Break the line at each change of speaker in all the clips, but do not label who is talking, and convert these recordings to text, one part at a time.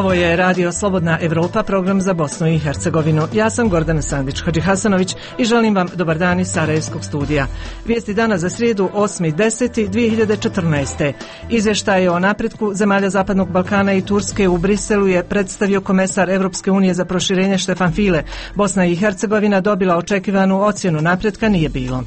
Ovo je Radio Slobodna Evropa, program za Bosnu i Hercegovinu. Ja sam Gordana Sandić-Hadžihasanović i želim vam dobar dan iz Sarajevskog studija. Vijesti dana za srijedu 8.10.2014. Izvještaj o napretku zemalja Zapadnog Balkana i Turske u Briselu je predstavio komesar Evropske unije za proširenje Štefan File. Bosna i Hercegovina dobila očekivanu ocjenu, napretka nije bilo.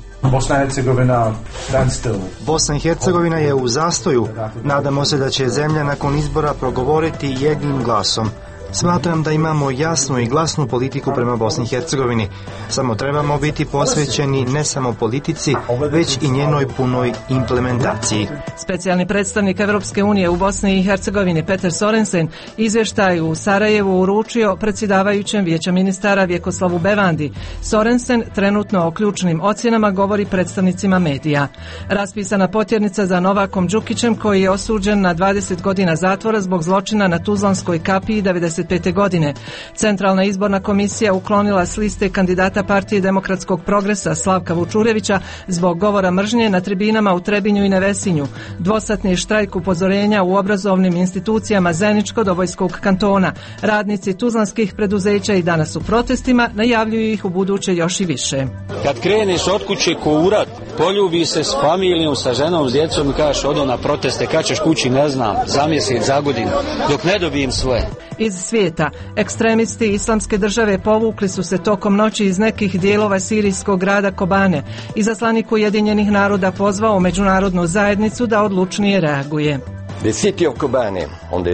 Bosna i Hercegovina je u zastoju. Nadamo se da će zemlja nakon izbora progovoriti jednim glasom. Smatram da imamo jasnu i glasnu politiku prema Bosni i Hercegovini. Samo trebamo biti posvećeni ne samo politici, već i njenoj punoj implementaciji.
Specijalni predstavnik Evropske unije u Bosni i Hercegovini Peter Sorensen izvještaj u Sarajevu uručio predsjedavajućem Vijeća ministara Vjekoslavu Bevandi. Sorensen trenutno o ključnim ocjenama govori predstavnicima medija. Raspisana potjernica za Novakom Đukićem, koji je osuđen na 20 godina zatvora zbog zločina na Tuzlanskoj kapiji 95. godine. Centralna izborna komisija uklonila s liste kandidata Partije demokratskog progresa Slavka Vučurevića zbog govora mržnje na tribinama u Trebinju i Nevesinju. Dvosatni štrajk upozorenja u obrazovnim institucijama Zeničko-Dobojskog kantona. Radnici tuzlanskih preduzeća i danas u protestima, najavljuju ih u buduće još i više.
Kad kreneš od kuće ko urat, poljubi se s familijom, sa ženom, s djecom i kažeš odo na proteste, kad ćeš kući ne znam, za mjesec, za godinu, dok ne dobijem svoje.
Iz svijeta. Ekstremisti Islamske države povukli su se tokom noći iz nekih dijelova sirijskog grada Kobane. Izaslanik Ujedinjenih naroda pozvao međunarodnu zajednicu da odlučnije reaguje.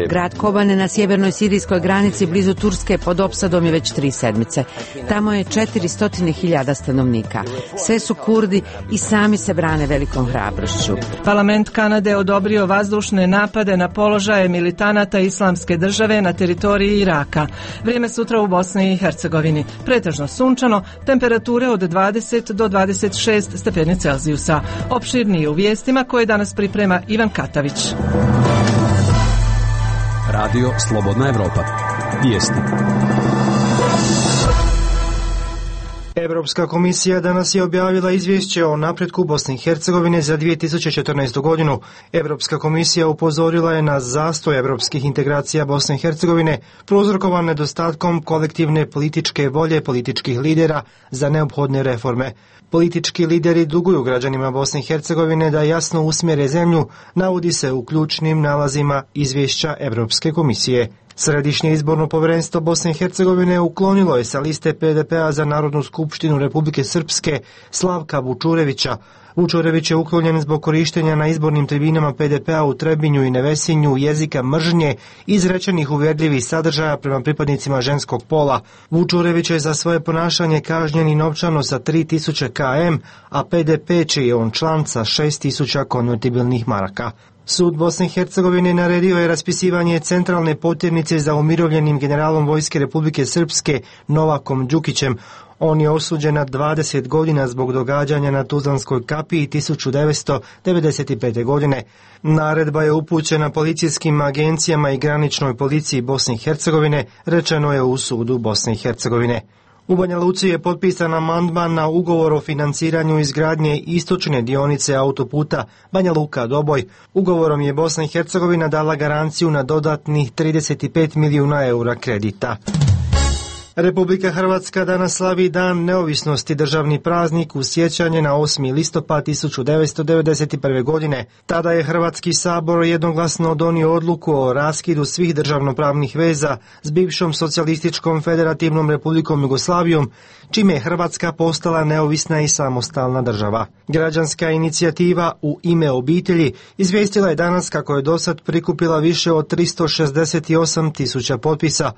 Grad Kobane na sjevernoj sirijskoj granici blizu Turske pod opsadom je već 3 sedmice. Tamo je 400.000 stanovnika. Sve su Kurdi i sami se brane velikom hrabrošću.
Parlament Kanade odobrio vazdušne napade na položaje militanata Islamske države na teritoriji Iraka. Vrijeme sutra u Bosni i Hercegovini. Pretežno sunčano, temperature od 20 do 26 stepeni Celzijusa. Opširnije u vijestima koje danas priprema Ivan Katavić.
Radio Slobodna Evropa. Vijesti.
Europska komisija danas je objavila izvješće o napretku Bosne i Hercegovine za 2014. godinu. Europska komisija upozorila je na zastoj europskih integracija Bosne i Hercegovine, prouzrokovan nedostatkom kolektivne političke volje političkih lidera za neophodne reforme. Politički lideri duguju građanima Bosne i Hercegovine da jasno usmjere zemlju, navodi se u ključnim nalazima izvješća Europske komisije. Središnje izborno povjerenstvo Bosne i Hercegovine uklonilo je sa liste PDP-a za Narodnu skupštinu Republike Srpske Slavka Vučurevića. Vučurević je uklonjen zbog korištenja na izbornim tribinama PDP-a u Trebinju i Nevesinju jezika mržnje, izrečenih uvjerljivih sadržaja prema pripadnicima ženskog pola. Vučurević je za svoje ponašanje kažnjen i novčano sa 3000 km, a PDP čiji je on član sa 6000 konvertibilnih maraka. Sud Bosne i Hercegovine naredio je raspisivanje centralne potjernice za umirovljenim generalom Vojske Republike Srpske Novakom Đukićem. On je osuđen na 20 godina zbog događanja na Tuzlanskoj kapiji 1995. godine. Naredba je upućena policijskim agencijama i graničnoj policiji Bosne i Hercegovine, rečeno je u sudu Bosne i Hercegovine. U Banja Luci je potpisan amandman na ugovor o financiranju izgradnje istočne dionice autoputa Banja Luka-Doboj. Ugovorom je Bosna i Hercegovina dala garanciju na dodatnih 35 milijuna eura kredita. Republika Hrvatska danas slavi Dan neovisnosti, državni praznik u sjećanje na 8. listopad 1991. godine. Tada je Hrvatski sabor jednoglasno donio odluku o raskidu svih državnopravnih veza s bivšom socijalističkom federativnom Republikom Jugoslavijom, čime je Hrvatska postala neovisna i samostalna država. Građanska inicijativa U ime obitelji izvijestila je danas kako je dosad prikupila više od 368.000 potpisa.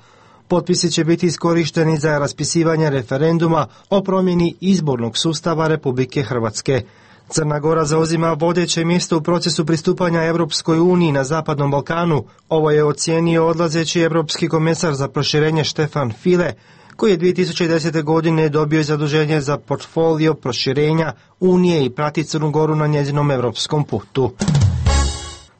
Potpisi će biti iskorišteni za raspisivanje referenduma o promjeni izbornog sustava Republike Hrvatske. Crna Gora zauzima vodeće mjesto u procesu pristupanja Europskoj uniji na Zapadnom Balkanu. Ovo je ocijenio odlazeći europski komesar za proširenje Štefan File, koji je 2010. godine dobio zaduženje za portfolio proširenja Unije i prati Crnu Goru na njezinom europskom putu.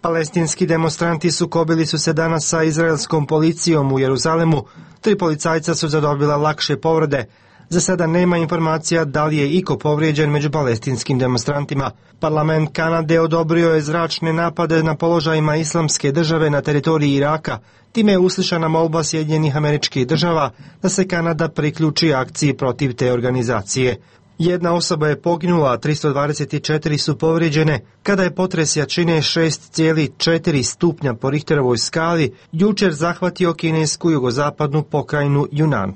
Palestinski demonstranti sukobili su se danas sa izraelskom policijom u Jeruzalemu. 3 policajca su zadobila lakše povrede. Za sada nema informacija da li je iko povrijeđen među palestinskim demonstrantima. Parlament Kanade odobrio je zračne napade na položajima Islamske države na teritoriji Iraka. Time je uslišana molba Sjedinjenih Američkih Država da se Kanada priključi akciji protiv te organizacije. Jedna osoba je poginula, a 324 su povrijeđene kada je potres jačine 6,4 stupnja po Richterovoj skali jučer zahvatio kinesku jugozapadnu pokrajinu Yunnan.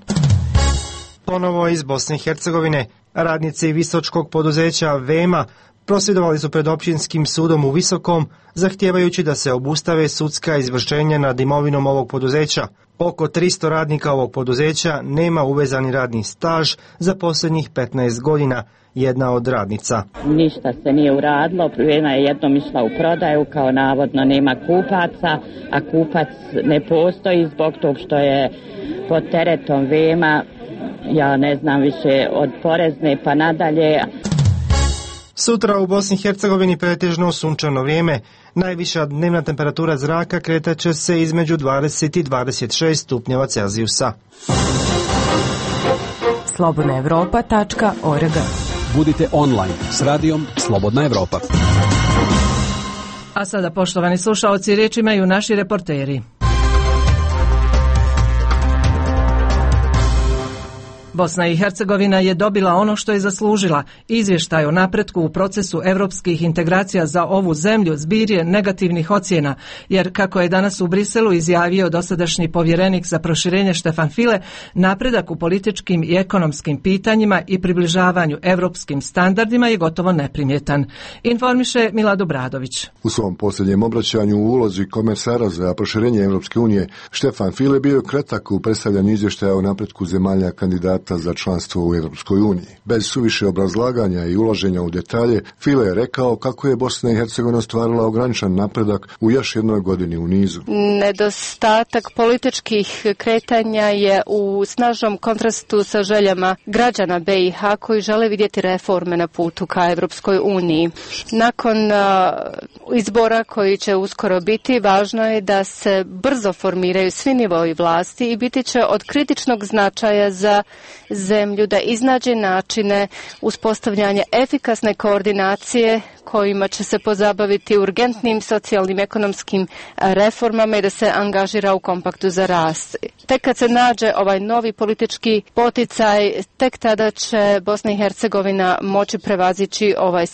Ponovo iz Bosne i Hercegovine, radnici visočkog poduzeća VEMA prosvjedovali su pred općinskim sudom u Visokom, zahtijevajući da se obustave sudska izvršenja nad imovinom ovog poduzeća. Oko 300 radnika ovog poduzeća nema uvezani radni staž za posljednjih 15 godina, jedna od radnica.
Ništa se nije uradilo, VEMA je jednom išla u prodaju, kao navodno nema kupaca, a kupac ne postoji zbog tog što je pod teretom VEMA, ja ne znam više, od porezne pa nadalje.
Sutra u Bosni i Hercegovini pretežno sunčano vrijeme. Najviša dnevna temperatura zraka kretat će se između 20 i 26 stupnjeva Celzijusa.
slobodnaevropa.org.
Budite online s radijom Slobodna Evropa.
A sada, poštovani slušaoci, riječ imaju naši reporteri. Bosna i Hercegovina je dobila ono što je zaslužila. Izvještaj o napretku u procesu europskih integracija za ovu zemlju zbir je negativnih ocjena, jer kako je danas u Briselu izjavio dosadašnji povjerenik za proširenje Štefan File, napredak u političkim i ekonomskim pitanjima i približavanju europskim standardima je gotovo neprimjetan. Informiše Milad Obradović.
U svom posljednjem obraćanju u ulozi komesara za proširenje Europske unije, Štefan File bio kratak u predstavljanju izvještaja o napretku zemalja kandidata za članstvo u Europskoj uniji. Bez suviše obrazlaganja i ulaženja u detalje, File je rekao kako je Bosna i Hercegovina ostvarila ograničen napredak u još jednoj godini u nizu.
Nedostatak političkih kretanja je u snažnom kontrastu sa željama građana BiH koji žele vidjeti reforme na putu ka Europskoj uniji. Nakon izbora koji će uskoro biti, važno je da se brzo formiraju svi nivoi vlasti i biti će od kritičnog značaja za zemlju da iznađe načine uspostavljanja efikasne koordinacije kojima će se pozabaviti urgentnim socijalnim ekonomskim reformama i da se angažira u kompaktu za rast. Tek kad se nađe ovaj novi politički poticaj, tek tada će Bosna i Hercegovina moći prevazići ovaj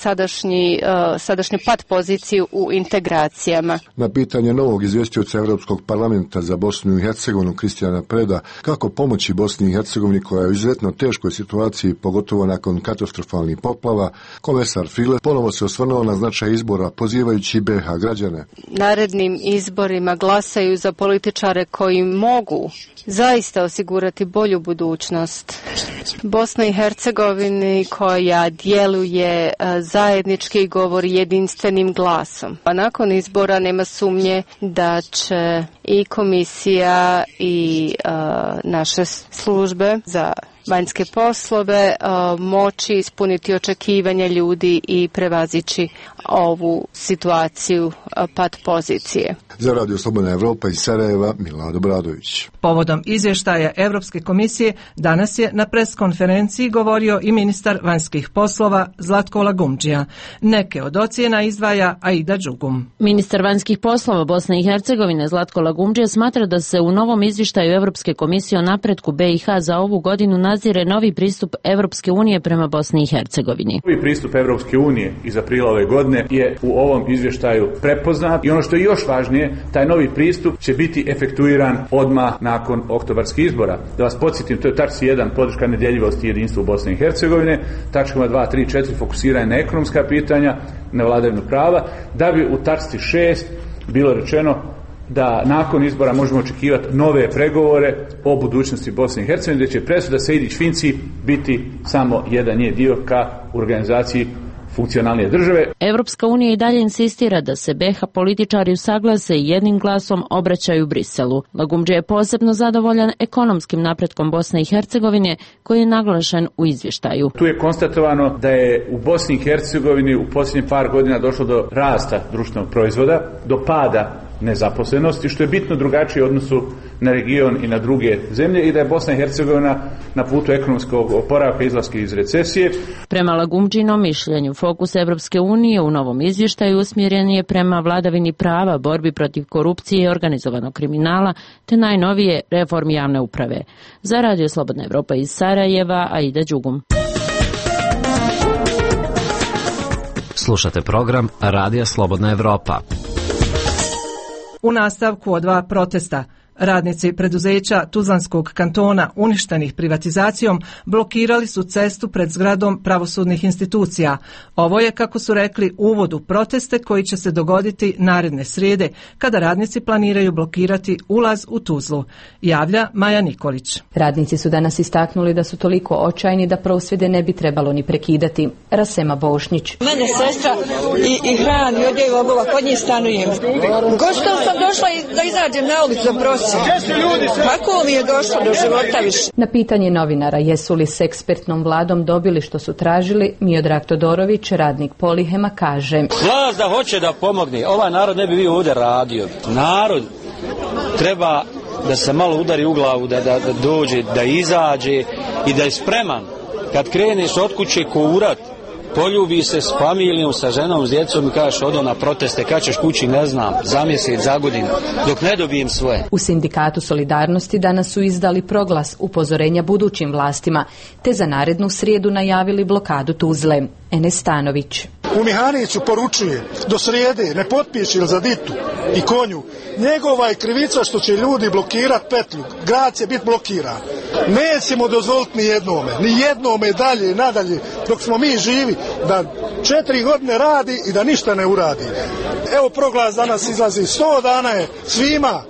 sadašnju pad poziciju u integracijama.
Na pitanje novog izvjestioca Europskog parlamenta za Bosnu i Hercegovinu Kristijana Preda kako pomoći Bosni i Hercegovini koja je u izuzetno teškoj situaciji, pogotovo nakon katastrofalnih poplava, komesar File ponovo se osvrnuo na značaj izbora, pozivajući BiH građane.
Narednim izborima glasaju za političare koji mogu zaista osigurati bolju budućnost Bosna i Hercegovini koja djeluje zajednički i govori jedinstvenim glasom. A nakon izbora nema sumnje da će i komisija i naše službe za vanjske poslove moći ispuniti očekivanja ljudi i prevazići ovu situaciju pad pozicije.
Za Radio Slobodna Evropa iz Sarajeva, Milad Obradović.
Povodom izvještaja Europske komisije danas je na preskonferenciji govorio i ministar vanjskih poslova Zlatko Lagumdžija. Neke od ocjena izdvaja Aida Đugum.
Ministar vanjskih poslova Bosne i Hercegovine Zlatko Lagumdžija smatra da se u novom izvještaju Europske komisije o napretku BiH za ovu godinu nazire novi pristup Europske unije prema Bosni i Hercegovini.
Novi pristup Europske unije iz aprila ove godine je u ovom izvještaju prepoznat i ono što je još važnije, taj novi pristup će biti efektuiran odmah nakon oktobarskih izbora. Da vas podsjetim, to je tačka 1 podrška nedjeljivosti i jedinstvu Bosne i Hercegovine, tačkama 2, 3, 4 fokusiranje na ekonomska pitanja, na vladavinu prava, da bi u tačci 6 bilo rečeno da nakon izbora možemo očekivati nove pregovore o budućnosti Bosne i Hercegovine, gdje će presuda Sejdić-Finci biti samo jedan njen dio ka organizaciji funkcionalnije države.
Europska unija i dalje insistira da se BiH političari usaglase i jednim glasom obraćaju Briselu. Lagumdžija je posebno zadovoljan ekonomskim napretkom Bosne i Hercegovine koji je naglašen u izvještaju.
Tu je konstatovano da je u Bosni i Hercegovini u posljednjih par godina došlo do rasta društvenog proizvoda, do pada nezaposlenosti, što je bitno drugačije u odnosu na region i na druge zemlje i da je Bosna i Hercegovina na putu ekonomskog oporavka i izlaska iz recesije.
Prema Lagumdžinom mišljenju, fokus Evropske unije u novom izvještaju usmjeren je prema vladavini prava, borbi protiv korupcije i organizovanog kriminala, te najnovije reformi javne uprave. Za Radio Slobodna Evropa iz Sarajeva, Aida Đugum.
Slušate program Radija Slobodna Evropa.
U nastavku od 2 protesta, radnici preduzeća Tuzlanskog kantona uništenih privatizacijom blokirali su cestu pred zgradom pravosudnih institucija. Ovo je, kako su rekli, uvod u proteste koji će se dogoditi naredne srijede, kada radnici planiraju blokirati ulaz u Tuzlu. Javlja Maja Nikolić.
Radnici su danas istaknuli da su toliko očajni da prosvjede ne bi trebalo ni prekidati. Rasema Bošnić.
Mene sestra i hrani, odjeju obova, kod njih stanujem. Gotovo sam došla da izađem na ulicu za prosvjed. Kako mi je došlo do života više?
Na pitanje novinara jesu li s ekspertnom vladom dobili što su tražili, Miodrag Todorović, radnik Polihema, kaže:
Vlast da hoće da pomogne, ovaj narod ne bi bio ovdje radio. Narod treba da se malo udari u glavu, da dođe, da izađe i da je spreman kad kreneš od kuće ko urat, poljubi se s familijom, sa ženom, s djecom i kažeš odo na proteste, kad ćeš kući ne znam, za mjesec, za godinu, dok ne dobijem svoje.
U Sindikatu Solidarnosti danas su izdali proglas upozorenja budućim vlastima, te za narednu srijedu najavili blokadu Tuzle. Enes Stanović.
U Mihaniću poručuje, do srijede ne potpiši za ditu i konju, njegova je krivica što će ljudi blokirati petlju, grad će biti blokiran. Nećemo dozvoliti ni jednome dalje i nadalje, dok smo mi živi, da 4 godine radi i da ništa ne uradi. Evo proglas danas izlazi, 100 dana je svima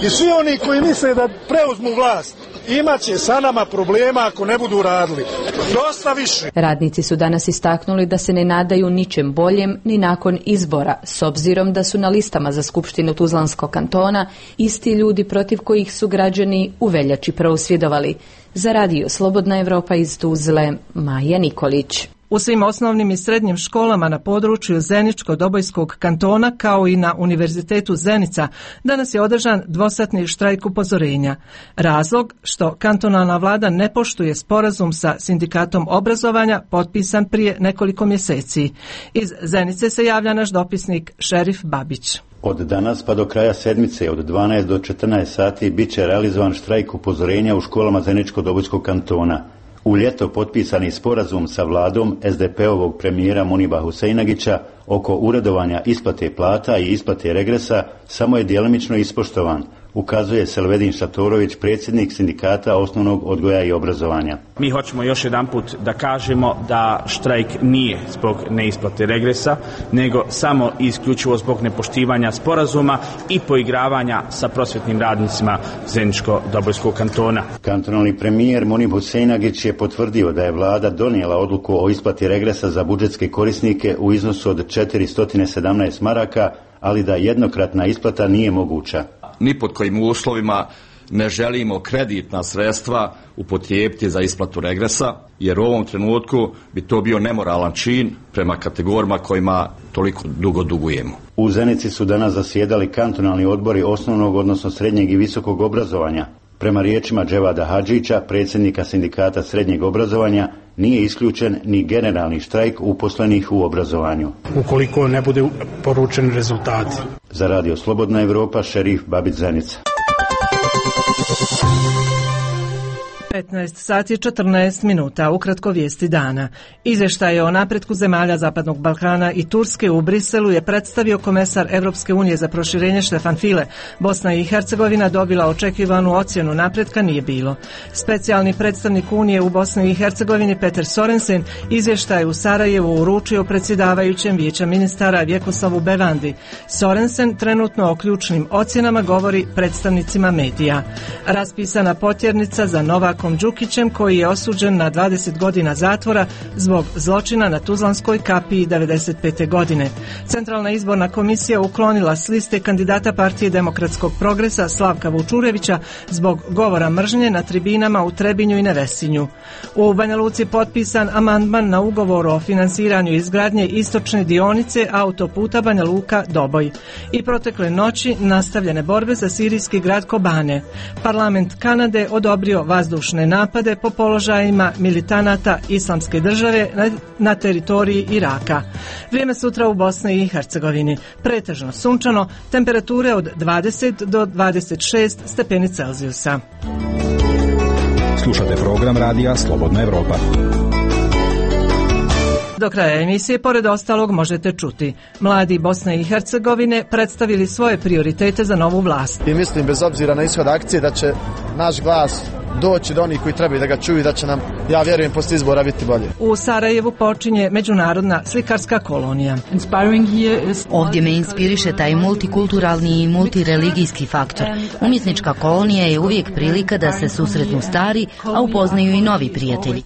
i svi oni koji misle da preuzmu vlast imat će sa nama problema ako ne budu radili. Dosta više.
Radnici su danas istaknuli da se ne nadaju ničem boljem ni nakon izbora, s obzirom da su na listama za Skupštinu Tuzlanskog kantona isti ljudi protiv kojih su građani u veljači prosvjedovali. Za Radio Slobodna Evropa iz Tuzle, Maja Nikolić.
U svim osnovnim i srednjim školama na području Zeničko-Dobojskog kantona kao i na Univerzitetu Zenica danas je održan dvosatni štrajk upozorenja. Razlog što kantonalna vlada ne poštuje sporazum sa Sindikatom obrazovanja potpisan prije nekoliko mjeseci. Iz Zenice se javlja naš dopisnik Šerif Babić.
Od danas pa do kraja sedmice od 12 do 14 sati bit će realizovan štrajk upozorenja u školama Zeničko-Dobojskog kantona. U ljeto potpisani sporazum sa vladom SDP-ovog premijera Muniba Huseinagića oko uredovanja isplate plata i isplate regresa samo je djelomično ispoštovan, ukazuje Selvedin Šatorović, predsjednik Sindikata osnovnog odgoja i obrazovanja.
Mi hoćemo još jedanput da kažemo da štrajk nije zbog neisplate regresa, nego samo i isključivo zbog nepoštivanja sporazuma i poigravanja sa prosvjetnim radnicima Zeničko-Dobojskog kantona.
Kantonalni premijer Munib Huseinagić je potvrdio da je vlada donijela odluku o isplati regresa za budžetske korisnike u iznosu od 417 maraka, ali da jednokratna isplata nije moguća.
Ni pod kojim uslovima ne želimo kreditna sredstva upotrijebiti za isplatu regresa, jer u ovom trenutku bi to bio nemoralan čin prema kategorijama kojima toliko dugo dugujemo.
U Zenici su danas zasjedali kantonalni odbori osnovnog, odnosno srednjeg i visokog obrazovanja. Prema riječima Dževada Hadžića, predsjednika Sindikata srednjeg obrazovanja, nije isključen ni generalni štrajk uposlenih u obrazovanju.
Ukoliko ne bude poručeni rezultati.
Za Radio Slobodna Evropa, Šerif Babić, Zenica.
15 sati 14 minuta, ukratko vijesti dana. Izvještaj o napretku zemalja Zapadnog Balkana i Turske u Briselu je predstavio komesar Evropske unije za proširenje Štefan File. Bosna i Hercegovina dobila očekivanu ocjenu, napretka nije bilo. Specijalni predstavnik Unije u Bosni i Hercegovini Peter Sorensen izvještaj u Sarajevu uručio predsjedavajućem Vijeća ministara Vjekoslavu Bevandi. Sorensen trenutno o ključnim ocjenama govori predstavnicima medija. Raspisana potjernica za nova Milakom Đukićem, koji je osuđen na 20 godina zatvora zbog zločina na Tuzlanskoj kapiji 1995. godine. Centralna izborna komisija uklonila s liste kandidata Partije demokratskog progresa Slavka Vučurevića zbog govora mržnje na tribinama u Trebinju i Nevesinju. U Banja Luci potpisan amandman na ugovor o finansiranju izgradnje istočne dionice autoputa Banja Luka-Doboj. I protekle noći nastavljene borbe za sirijski grad Kobane. Parlament Kanade odobrio vazdušne napade po položajima militanata Islamske države na teritoriji Iraka. Vrijeme sutra u Bosni i Hercegovini. Pretežno sunčano, temperature od 20 do 26 stepeni Celzijusa.
Slušate program radija Slobodna Evropa.
Do kraja emisije, pored ostalog, možete čuti. Mladi Bosne i Hercegovine predstavili svoje prioritete za novu vlast.
I mislim, bez obzira na ishod akcije, da će naš glas doći do onih koji trebaju da ga čuju i da će nam, ja vjerujem, posle izbora biti bolje.
U Sarajevu počinje međunarodna slikarska kolonija.
Ovdje me inspiriše taj multikulturalni i multireligijski faktor. Umjetnička kolonija je uvijek prilika da se susretnu stari, a upoznaju i novi prijatelji.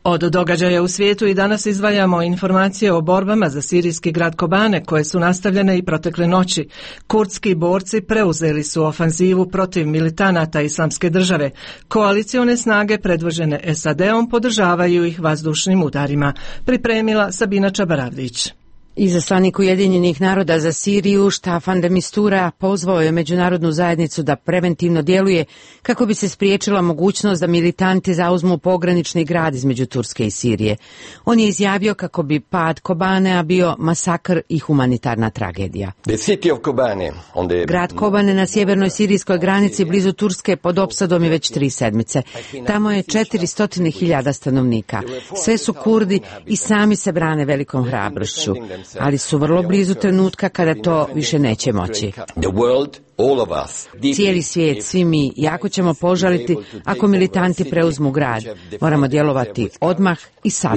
Od događaja u svijetu i danas izdvajamo informacije o borbama za sirijski grad Kobane, koje su nastavljene i protekle noći. Kurdski borci preuzeli su ofanzivu protiv militanata Islamske države. Koalicione snage predvođene SAD-om podržavaju ih vazdušnim udarima. Pripremila Sabina Čabaravdić.
Izaslanik Ujedinjenih naroda za Siriju Staffan de Mistura pozvao je međunarodnu zajednicu da preventivno djeluje kako bi se spriječila mogućnost da militanti zauzmu pogranični grad između Turske i Sirije. On je izjavio kako bi pad Kobanea bio masakr i humanitarna tragedija. Grad Kobane na sjevernoj sirijskoj granici blizu Turske pod opsadom je već 3 sedmice. Tamo je 400.000 stanovnika. Sve su Kurdi i sami se brane velikom hrabrošću, ali su vrlo blizu trenutka kada to više neće moći. Cijeli svijet, svi mi, jako ćemo požaliti ako militanti preuzmu grad. Moramo djelovati odmah i sada.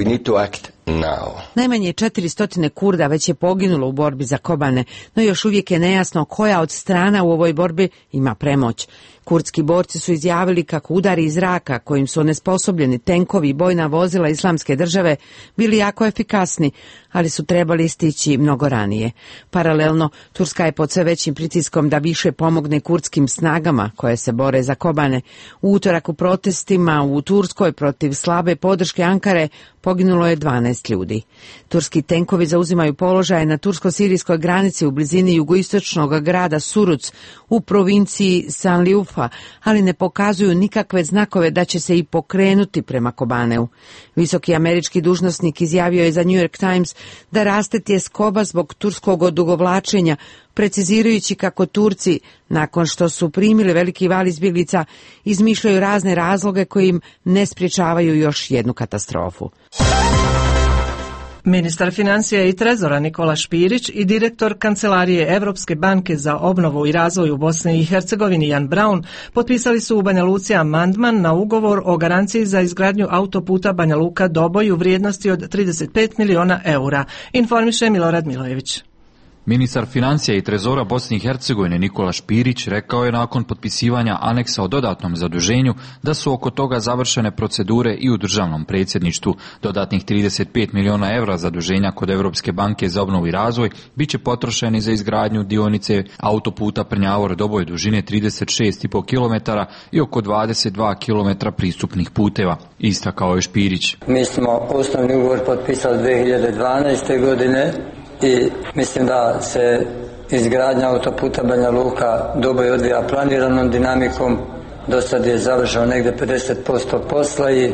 Najmanje 400 Kurda već je poginulo u borbi za Kobane, no još uvijek je nejasno koja od strana u ovoj borbi ima premoć. Kurdski borci su izjavili kako udari iz zraka kojim su onesposobljeni tenkovi i bojna vozila Islamske države bili jako efikasni, ali su trebali stići mnogo ranije. Paralelno, Turska je pod sve većim pritiskom da više pomogne kurdskim snagama koje se bore za Kobane. U utorak u protestima u Turskoj protiv slabe podrške Ankare poginulo je 12 ljudi. Turski tenkovi zauzimaju položaje na tursko-sirijskoj granici u blizini jugoistočnog grada Suruc u provinciji Sanliufa, ali ne pokazuju nikakve znakove da će se i pokrenuti prema Kobaneu. Visoki američki dužnosnik izjavio je za New York Times da raste tjeskoba zbog turskog odugovlačenja, precizirajući kako Turci, nakon što su primili veliki val izbjeglica, izmišljaju razne razloge koji im ne sprječavaju još jednu katastrofu.
Ministar financija i trezora Nikola Špirić i direktor Kancelarije Evropske banke za obnovu i razvoj u Bosni i Hercegovini Jan Braun potpisali su u Banja Luci amandman na ugovor o garanciji za izgradnju autoputa Banja Luka-Doboj u vrijednosti od 35 miliona eura, informiše Milorad Milojević.
Ministar financija i trezora Bosne i Hercegovine Nikola Špirić rekao je nakon potpisivanja aneksa o dodatnom zaduženju da su oko toga završene procedure i u državnom predsjedništvu. Dodatnih 35 miliona evra zaduženja kod Evropske banke za obnovu i razvoj bit će potrošeni za izgradnju dionice autoputa Prnjavor-Doboj dužine 36,5 km i oko 22 km pristupnih puteva. Istakao je Špirić.
Mi smo osnovni ugovor potpisali 2012. godine. I mislim da se izgradnja autoputa Banja Luka-Doboj odvija planiranom dinamikom. Do sad je završeno negdje 50% posla i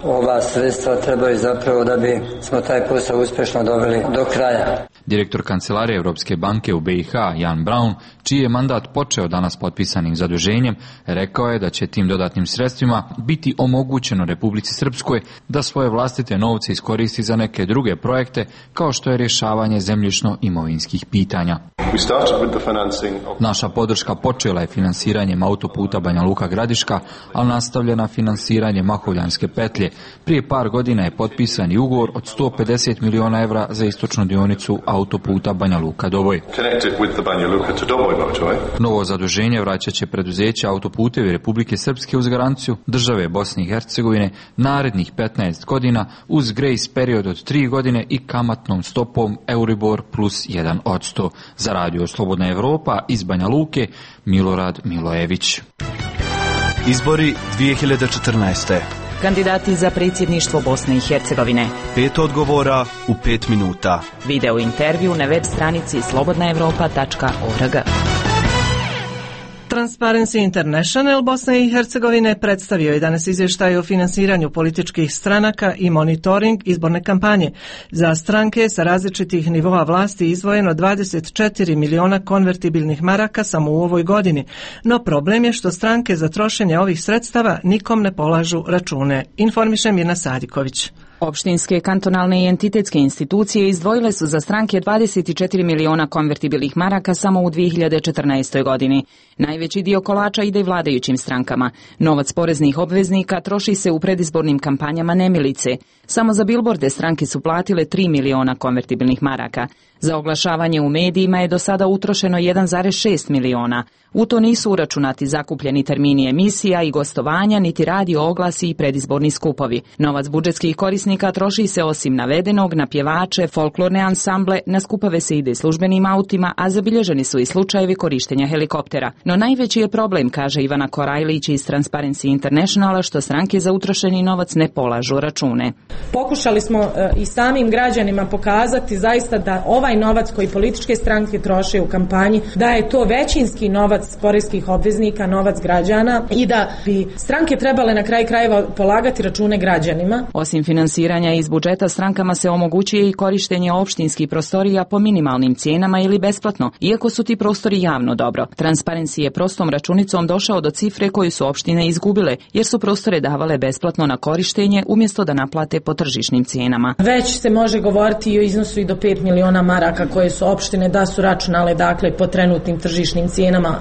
ova sredstva trebaju zapravo da bi smo taj posao uspješno doveli do kraja.
Direktor Kancelarije Europske banke u BiH Jan Braun, čiji je mandat počeo danas potpisanim zaduženjem, rekao je da će tim dodatnim sredstvima biti omogućeno Republici Srpskoj da svoje vlastite novce iskoristi za neke druge projekte, kao što je rješavanje zemljišno-imovinskih pitanja. Naša podrška počela je finansiranjem autoputa Banja Luka-Gradiška, ali nastavljena finansiranje Mahovljanske petlje. Prije par godina je potpisan i ugovor od 150 miliona evra za istočnu dionicu autoputa Banja Luka-Doboj. Novo zaduženje vraćat će preduzeće Autoputevi Republike Srpske uz garanciju države Bosne i Hercegovine narednih 15 godina uz grace period od 3 godine i kamatnom stopom Euribor plus 1%. Za Radio Slobodna Evropa iz Banja Luke, Milorad Milojević.
Izbori 2014.
Kandidati za predsjedništvo Bosne i Hercegovine.
5 odgovora u 5 minuta.
Video intervju na web stranici slobodnaevropa.org.
Transparency International Bosne i Hercegovine predstavio je danas izvještaj o finansiranju političkih stranaka i monitoring izborne kampanje. Za stranke sa različitih nivoa vlasti izdvojeno 24 miliona konvertibilnih maraka samo u ovoj godini. No problem je što stranke za trošenje ovih sredstava nikom ne polažu račune. Informiše Mirna Sadiković.
Opštinske, kantonalne i entitetske institucije izdvojile su za stranke 24 miliona konvertibilnih maraka samo u 2014. godini. Najveći dio kolača ide vladajućim strankama. Novac poreznih obveznika troši se u predizbornim kampanjama nemilice. Samo za bilborde stranke su platile 3 miliona konvertibilnih maraka. Za oglašavanje u medijima je do sada utrošeno 1,6 miliona. U to nisu uračunati zakupljeni termini emisija i gostovanja, niti radio oglasi i predizborni skupovi. Novac budžetskih korisnika troši se osim navedenog na pjevače, folklorne ansamble, na skupove se ide službenim autima, a zabilježeni su i slučajevi korištenja helikoptera. No najveći je problem, kaže Ivana Korajlić iz Transparency Internationala, što stranke za utrošeni novac ne polažu račune.
Pokušali smo i samim građanima pokazati zaista da ovaj novac koji političke stranke troše u kampanji, da je to većinski novac poreskih obveznika, novac građana i da bi stranke trebale na kraj krajeva polagati račune građanima.
Osim finansiranja iz budžeta, strankama se omogućuje i korištenje opštinskih prostorija po minimalnim cijenama ili besplatno, iako su ti prostori javno dobro. Transparency je prostom računicom došao do cifre koju su opštine izgubile, jer su prostore davale besplatno na korištenje umjesto da naplate po tržišnim cijenama.
Već se može govoriti i o iznosu i do 5 miliona maraka koje su opštine da su računale, dakle, po trenutnim tržišnim cijenama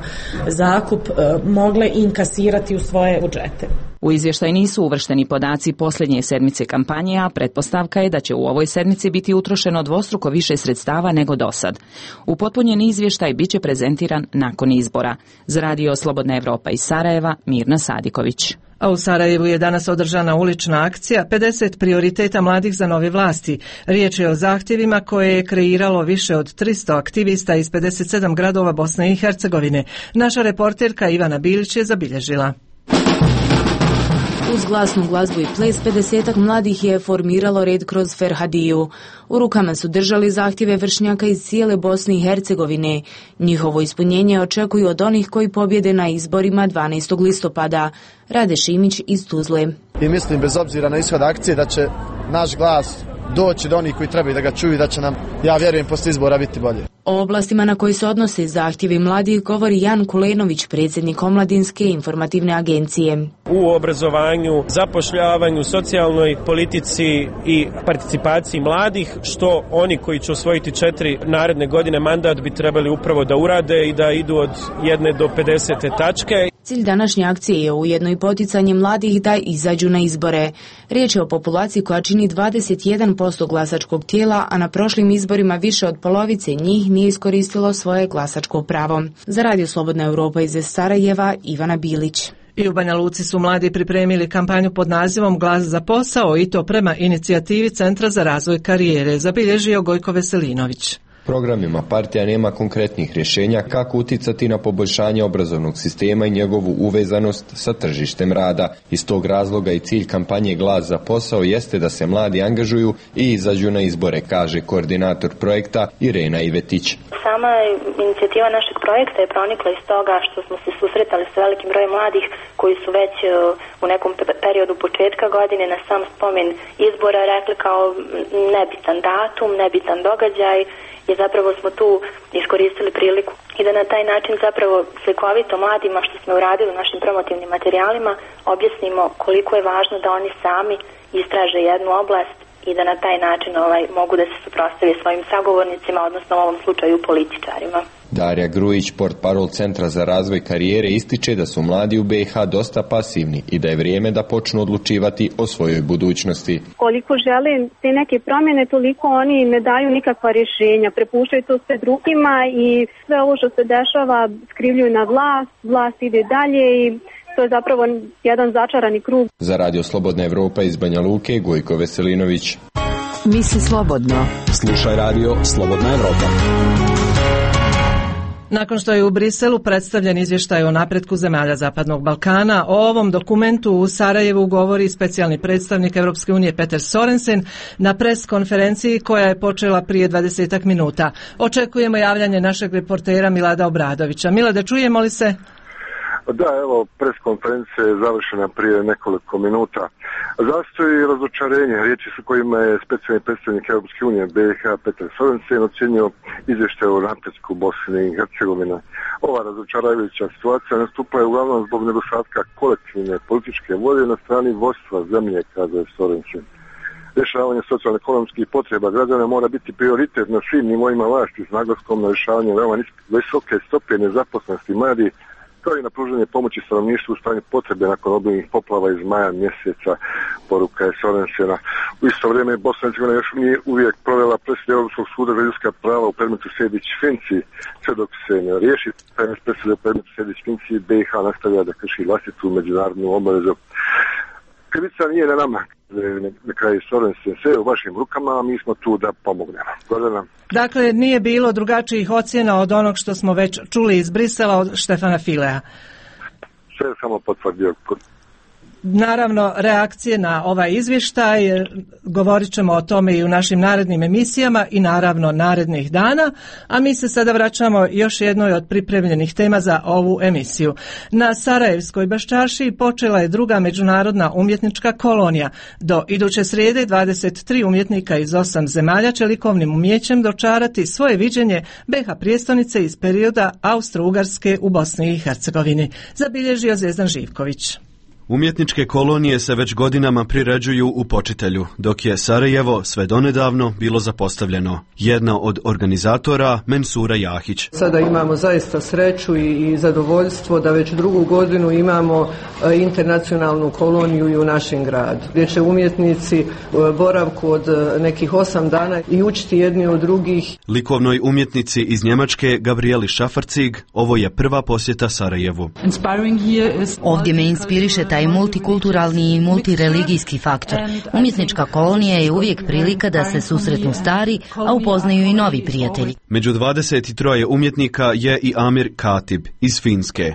zakup mogle inkasirati u svoje budžete.
U izvještaj nisu uvršteni podaci posljednje sedmice kampanje, a pretpostavka je da će u ovoj sedmici biti utrošeno dvostruko više sredstava nego dosad. Upotpunjeni izvještaj biće prezentiran nakon izbora. Za Radio Slobodna Evropa iz Sarajeva, Mirna Sadiković.
A u Sarajevu je danas održana ulična akcija 50 prioriteta mladih za nove vlasti. Riječ je o zahtjevima koje je kreiralo više od 300 aktivista iz 57 gradova Bosne i Hercegovine. Naša reporterka Ivana Bilić je zabilježila.
Uz glasnu glazbu i ples 50-ak mladih je formiralo red kroz Ferhadiju. U rukama su držali zahtjeve vršnjaka iz cijele Bosne i Hercegovine. Njihovo ispunjenje očekuju od onih koji pobjede na izborima 12. listopada. Rade Šimić iz Tuzle.
I mislim, bez obzira na ishod akcije, da će naš glas doći do onih koji trebaju da ga čuju i da će nam, ja vjerujem, poslije izbora biti bolje.
O oblastima na koji se odnose zahtjevi mladih govori Jan Kulenović, predsjednik Omladinske informativne agencije.
U obrazovanju, zapošljavanju, socijalnoj politici i participaciji mladih, što oni koji će osvojiti 4 naredne godine mandat bi trebali upravo da urade i da idu od 1 do 50 tačke.
Cilj današnje akcije je ujedno i poticanje mladih da izađu na izbore. Riječ je o populaciji koja čini 21% glasačkog tijela, a na prošlim izborima više od polovice njih nije iskoristilo svoje glasačko pravo. Za Radio Slobodna Evropa iz Sarajeva, Ivana Bilić.
I u Banja Luci su mladi pripremili kampanju pod nazivom Glas za posao i to prema inicijativi Centra za razvoj karijere, zabilježio Gojko Veselinović.
Programima partija nema konkretnih rješenja kako uticati na poboljšanje obrazovnog sistema i njegovu uvezanost sa tržištem rada. Iz tog razloga i cilj kampanje Glas za posao jeste da se mladi angažuju i izađu na izbore, kaže koordinator projekta Irena Ivetić.
Sama inicijativa našeg projekta je pronikla iz toga što smo se susretali sa velikim brojem mladih koji su već u nekom periodu početka godine na sam spomen izbora rekli kao nebitan datum, nebitan događaj, i zapravo smo tu iskoristili priliku i da na taj način zapravo slikovito mladima što smo uradili u našim promotivnim materijalima objasnimo koliko je važno da oni sami istraže jednu oblast i da na taj način mogu da se suprotstave svojim sagovornicima, odnosno u ovom slučaju političarima.
Darija Grujić, portparol Centra za razvoj karijere, ističe da su mladi u BiH dosta pasivni i da je vrijeme da počnu odlučivati o svojoj budućnosti.
Koliko žele te neke promjene, toliko oni ne daju nikakva rješenja, prepuštaju to sve drugima i sve ovo što se dešava skrivljuju na vlast ide dalje i to je zapravo jedan začarani krug.
Za Radio Slobodna Evropa iz Banja Luke, Gojko Veselinović.
Misli slobodno.
Slušaj Radio Slobodna Evropa.
Nakon što je u Briselu predstavljen izvještaj o napretku zemalja Zapadnog Balkana, o ovom dokumentu u Sarajevu govori specijalni predstavnik Europske unije Peter Sorensen na pres konferenciji koja je počela prije 20 minuta. Očekujemo javljanje našeg reportera Milada Obradovića. Milade, čujemo li se?
Da, evo, pres konferencija je završena prije nekoliko minuta. Zastoj i razočarenje, riječi su kojima je specijalni predstavnik Europske unije BiH Peter Sorensen ocjenio izvještaj o napretku Bosne i Hercegovine. Ova razočaravajuća situacija nastupa je uglavnom zbog nedostatka kolektivne političke volje na strani vodstva zemlje, kaže Sorensen. Rješavanje socijalno-ekonomskih potreba građana mora biti prioritet na svim nivoima vlasti s naglaskom na rješavanje veoma visoke stope nezaposlenosti mladih, kao i na pružanje pomoći stanovništvu u stanju potrebe nakon obilnih poplava iz maja mjeseca, poruka je Sorensena. U isto vrijeme Bosna i Hercegovina još nije uvijek provela presudu Europskog suda za ljudska prava u predmetu Sejdić-Finci. Sve dok se ne riješi presude u predmetu Sejdić-Finci, BiH nastavlja da krši vlastitu međunarodnu obavezu. Krivica nije na nama, na kraju Sorensen, sve u vašim rukama, a mi smo tu da pomognemo. Gordana.
Dakle, nije bilo drugačijih ocjena od onog što smo već čuli iz Brisela od Štefana Filea.
Sve samo potvrdio.
Naravno, reakcije na ovaj izvještaj, govorit ćemo o tome i u našim narednim emisijama i naravno narednih dana, a mi se sada vraćamo još jednoj od pripremljenih tema za ovu emisiju. Na Sarajevskoj Baščaršiji počela je druga međunarodna umjetnička kolonija. Do iduće srijede 23 umjetnika iz 8 zemalja će likovnim umjećem dočarati svoje viđenje BiH prijestolnice iz perioda Austro-Ugarske u Bosni i Hercegovini, zabilježio Zvijezdan Živković.
Umjetničke kolonije se već godinama priređuju u Počitelju, dok je Sarajevo sve donedavno bilo zapostavljeno. Jedna od organizatora, Mensura Jahić.
Sada imamo zaista sreću i zadovoljstvo da već drugu godinu imamo internacionalnu koloniju i u našem gradu, gdje će umjetnici boravku od nekih 8 dana i učiti jedni od drugih.
Likovnoj umjetnici iz Njemačke, Gabrieli Šafarcig, ovo je prva posjeta Sarajevu.
Ovdje me inspiriše taj multikulturalni i multireligijski faktor. Umjetnička kolonija je uvijek prilika da se susretnu stari, a upoznaju i novi prijatelji.
Među 23 umjetnika je i Amir Katib iz Finske.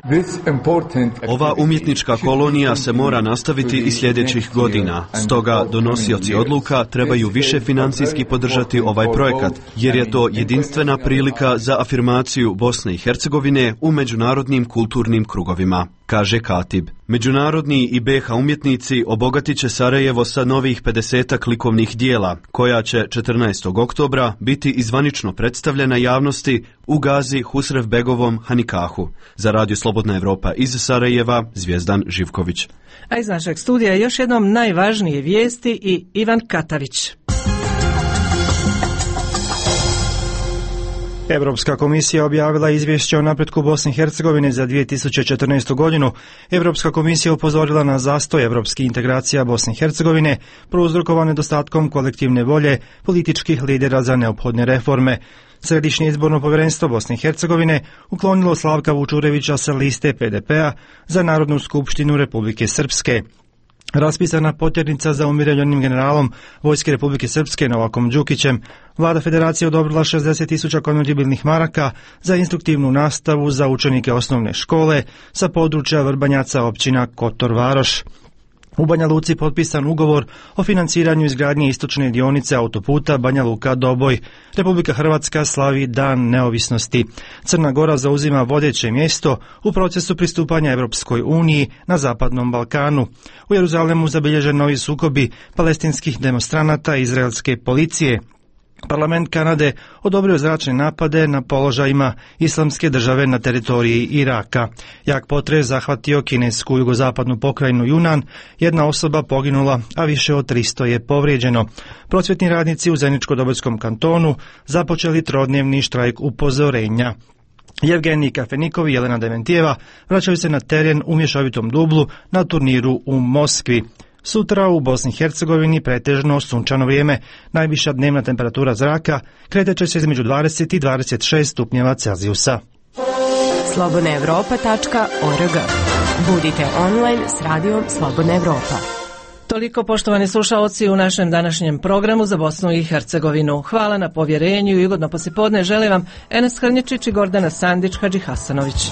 Ova umjetnička kolonija se mora nastaviti i sljedećih godina. Stoga donosioci odluka trebaju više financijski podržati ovaj projekat, jer je to jedinstvena prilika za afirmaciju Bosne i Hercegovine u međunarodnim kulturnim krugovima, kaže Katib. Međunarodni i BiH umjetnici obogatit će Sarajevo sa novih 50 likovnih dijela, koja će 14. oktobra biti izvanično predstavljena javnosti u Gazi Husrevbegovom Hanikahu. Za Radio Slobodna Evropa iz Sarajeva, Zvijezdan Živković.
A iz našeg studija još jednom najvažnije vijesti i Ivan Katavić.
Europska komisija objavila izvješće o napretku Bosne i Hercegovine za 2014. godinu. Europska komisija upozorila na zastoj europskih integracija Bosne i Hercegovine, prouzrokovan nedostatkom kolektivne volje političkih lidera za neophodne reforme. Središnje izborno povjerenstvo Bosne i Hercegovine uklonilo Slavka Vučurevića sa liste PDP-a za Narodnu skupštinu Republike Srpske. Raspisana potjernica za umirovljenim generalom Vojske Republike Srpske Novakom Đukićem, Vlada Federacije odobrila 60.000 konvertibilnih maraka za instruktivnu nastavu za učenike osnovne škole sa područja Vrbanjaca općina Kotor Varoš. U Banja Luci potpisan ugovor o financiranju izgradnje istočne dionice autoputa Banja Luka-Doboj. Republika Hrvatska slavi Dan neovisnosti. Crna Gora zauzima vodeće mjesto u procesu pristupanja Europskoj uniji na Zapadnom Balkanu. U Jeruzalemu zabilježen novi sukobi palestinskih demonstranata i izraelske policije. Parlament Kanade odobrio zračne napade na položajima Islamske države na teritoriji Iraka. Jak potres zahvatio kinesku jugozapadnu pokrajinu Junan, jedna osoba poginula, a više od 300 je povrijeđeno. Prosvjetni radnici u Zeničko-Dobojskom kantonu započeli trodnevni štrajk upozorenja. Jevgenij Kafenikov i Jelena Dementijeva vraćaju se na teren u mješovitom dublu na turniru u Moskvi. Sutra u Bosni i Hercegovini pretežno sunčano vrijeme. Najviša dnevna temperatura zraka kretat će se između 20 i 26 stupnjeva Celzijusa.
slobodnaevropa.org. Budite online s radijom Slobodna Evropa.
Toliko, poštovani slušaoci, u našem današnjem programu za Bosnu i Hercegovinu. Hvala na povjerenju i ugodno poslijepodne želim vam Enes Hrnječić i Gordana Sandić Hadži Hasanović.